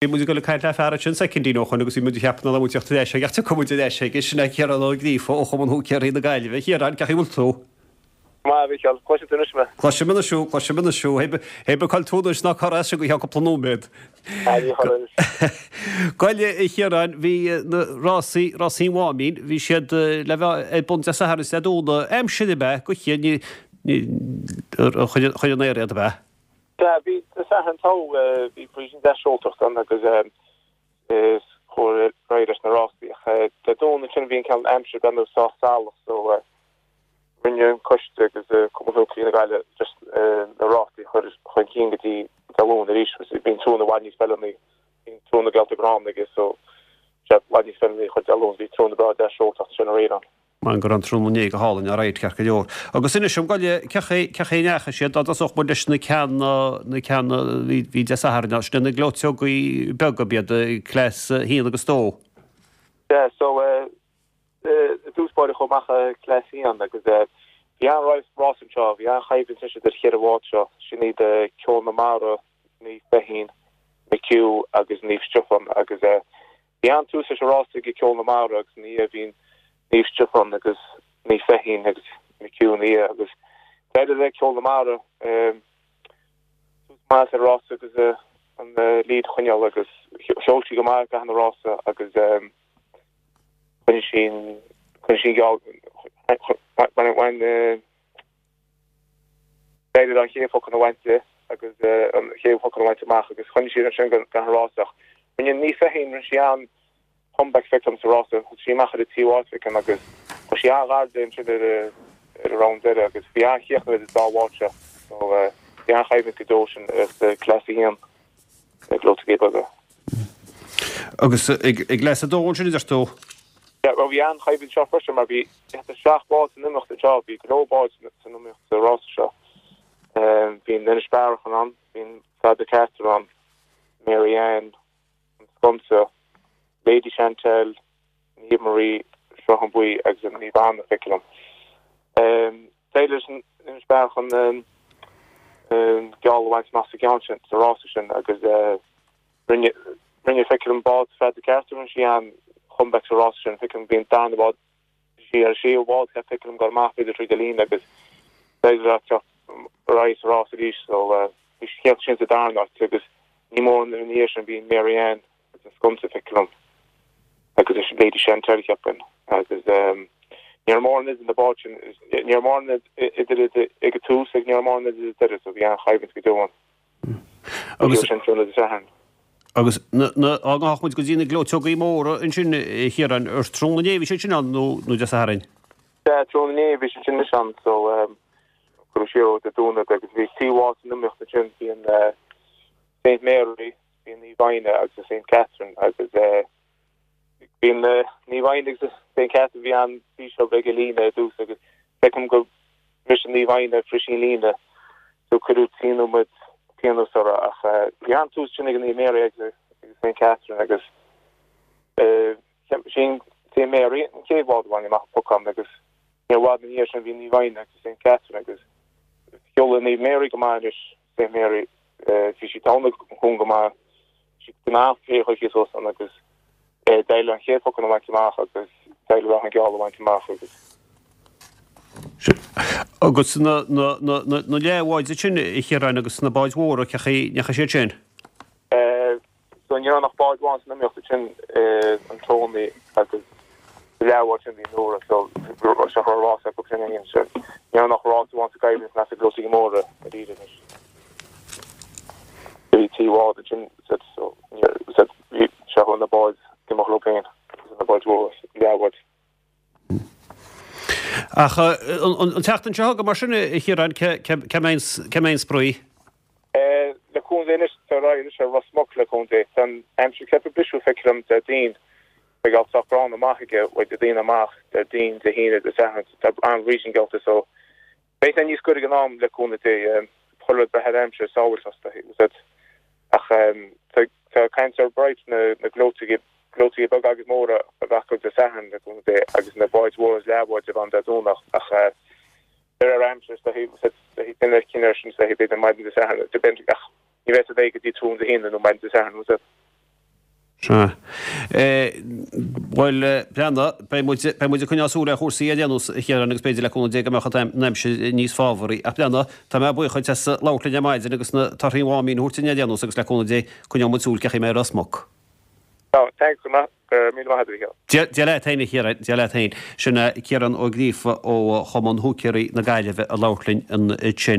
Bhí muid ag dul ag caint le fear ansin soicindín ó shoin agus bhí muid ag ceapadh nach raibh muid ag teacht ar ais aige ach tiocfaidh muid ar ais aige, sin é Ciarán Ó Gríofa ó Chumann Húicéirí na Gaillimhe. A Chiaráin, cén chaoi a bhfuil tú? Go maith, a Mhícheáil. Cloiseann tú anois mé? Cloisim anois thú, cloisim anois thú. Hé bí cá bhfuil tú anois ná cur as sin go ceann cúpla nóiméad. Ah, ní chuirfinn anois. Gabh i leith, a Chiaráin, bhí na rásaí, rásaí an Mháimín, bhí siad le bheith ar bun Dé Sathairn is Dé Domhnaigh. Aimsir ab ea, go chian, ní, ní, chuir an aer iad ab ea? Sea, bhí Dé Sathairn togha, bhí brísín deas seoltacht ann agus is chuaigh ar aghaidh leis na rásaí ach Dé Domhnaigh ansin bhí an cineál aimsir breathnú sách salach so rinne an coiste agus Cumann Húicéirí na Gaillimhe just na rásaí a chur chun cinn go dtí Dé Luain arís bhí an trúna i bhfad níos feiliúnaí, bhí an trúna geallta gránna aige so sea, i bhfad níos feiliúnaí a chur Dé Luain, bhí trúna breá deas seoltacht ansin aréir ann. Maith go raibh an tráthnóna inné go hálainn, alright, ceart go leor. Agus inis dom, gabh i leith, cén chaoi, cén chaoi a ndeachaigh siad, dá dtosódh muid leis na ceanna, na ceanna a bhí, bhí Dé Sathairn, sin na gleoiteogaí beaga, ab iad, Class 1 agus 2. Yeah, so eh, i dtús báire chuaigh amach eh, Class 1 agus eh, bhí an-rás anseo, bhí an-choimhlint anois idir cheithre bhád seo, sin iad eh, Ceol na Mara, Naomh Feichín, McHugh agus Naomh Stiofán agus eh, Bhí an-tús leis an rása ag Ceol na Mara agus ina dhiaidh bhí Naomh Stiofán agus Naomh Feichín agus McHugh ina dhiaidh agus d'éirigh le Ceol na Mara tús maith ar an rása agus an lead a choinneáil agus sheol sí go maith i gcaitheamh an rása agus choinnigh sí an choinnigh sí an geall bhain D'éirigh leo an chéad phocán a bhaint di agus an chéad phocán a bhaint amach agus choinnigh siad ansin go an rása ach rinne Naomh Feichín, rinne sí an comeback feicim sa rása, thug sí amach ar an tríú háit feicim agus chuaigh sí an-ghar di ansin ar ar an round deireadh agus bhí an-chríochnú idir an dá bhád seo so bhí an-choimhlint go deo sin sa Class 1 na gleoiteogaí beaga. Agus ag gClass 2 ansin a deir tú? Yeah, bhuel bhí an-choimhlint anseo freisin mar bhí seacht bád san iomaíocht anseo, bhí go leor báid san iomaíocht sa rása seo. Bhí an Inis Bearachan ann, bhí an Feadra Carter ann, Mary Ann, an Sconsa, Lady Chantel, Naomh Marie, Sruthán Buí agus an Naomh Anna, feictear liom. D'éirigh leis an Inis Bearachan an geall a bhaint amach sa gceann sin, sa rása sin agus rinne, rinne feictear liom bád Feadra Carter, rinne sí an comeback sa rása sin, feictear liom bhí an darna bád, bhí sí ar an séú bád, feictear liom ag dul amach b'fhéidir tríd an líne agus d'éirigh léi teacht ar aghaidh sa rás arís so bhí sí chéad sin sa darna áit agus ní mór ina dhiaidh sin bhí Mary Ann agus an Sconsa feictear liom agus is Lady Chantel cheapfainn agus ní raibh mórán idir na báid sin, ní raibh mórán idir ag an tús agus ní raibh mórán idir ag deireadh so bhí an-choimhlint go deo ann. Agus sin tráthnóna Dé Sathairn. Agus na, na, á ngabhadh muid go dtí na gleoiteogaí móra ansin, a Chiaráin, ar tráthnóna inné a bhí siad sin ann nó, nó Dé Sathairn? Sea, tráthnóna inné a bhí siad sin anois ann so cuireadh siar ó Dé Domhnaigh agus bhí trí bhád san iomaíocht ansin, bhí an Saint Mary, bhí an Naomh Inne agus an Saint Catherine agus bhí an Naomh Inne agus an Saint Catherine bhí an-bhriseadh ag an líne i dtús agus feicim gur bhris an Naomh Inne bhris sí an líne so cuireadh trí nóiméad pionós orthu ach bhí an-tús sin ag an Naomh Mary agus Saint Catherine agus sin Saint Mary an chéad bhád a bhain amach an pocán agus ní i bhfad ina dhiaidh sin bhí Naomh Inne agus Saint Catherine agus sheol Naomh Mary go maith anois Saint Mary bhí sí ag an cúng go maith, sí go maith chuici suas ann agus d'éirigh léi an chéad phocán a bhaint amach agus d'éirigh léi an geall a bhaint amach agus. Agus na leathbháid sin, a Chiaráin, agus na báid mhóra, cén chaoi a ndeachaigh siad sin? So ní raibh ach bád amháin san iomaíocht ansin, an Tony agus sa leathbhád sin bhí Nóra so seo raibh rás acu sin féin so ní raibh ach rás amháin sa gcoimhlint sna gleoiteogaí móra arís anois. Bhí trí bhád ansin so bhí seo na báid ag imeacht leo féin agus na báid mhóra leathbháid. Ach an tseachtain seo chugainn mar sin, a Chiaráin, cá mbeidh an spraoi? Le cúnamh Dé anois, tá ar aghaidh anois ar Ros Muc le cúnamh Dé. Tá an aimsir ceaptha briseadh feictear liom Déardaoin. Beidh alt sách gránna amach aige uaidh Déardaoin amach, Déardaoin, Dé hAoine, Dé Sathairn. Tá an-bhrísín geallta so beidh sé níos gaire ag an am le cúnamh Dé. Chuile rud ag brath ar aimsir sábháilteacht ach tá caint ar bright na gleoiteogaí gleoiteogaí beaga agus móra a bheith acu Dé Sathairn le cúnamh Dé agus na báid mhóra is leathbháid a bheith ann Dé Domhnach ach de réir aimsire is dóichí duine cinneadh air sin is dóichí b'fhéidir maidin Dé Sathairn ach ní bheidh sé réidh go dtí tráthnóna Dé hAoine nó maidin Dé Sathairn. Sea. Bhuel, breathnaigh, beidh muid, beidh muid ag coinneáil súil ar chúrsaí ar aon nós, a Chiaráin, agus b'fhéidir le cúnamh Dé go mbeadh an aimsir níos fábharaí. Ach breathnaigh, tá mé buíoch duit as labhairt linn ar maidin agus na torthaí an Mháimín a thabhairt dúinn ar aon nós agus le cúnamh Dé coinneoidh muid súil cén chaoi a mbeidh Ros Muc. Tá, thanks, go raibh míle maith agat, a Chiaráin. Dia leat féin, a Chiaráin, Dia leat féin. Sin é Ciarán Ó Gríofa ó Chumann Húicéirí na Gaillimhe ag labhairt linn ansin.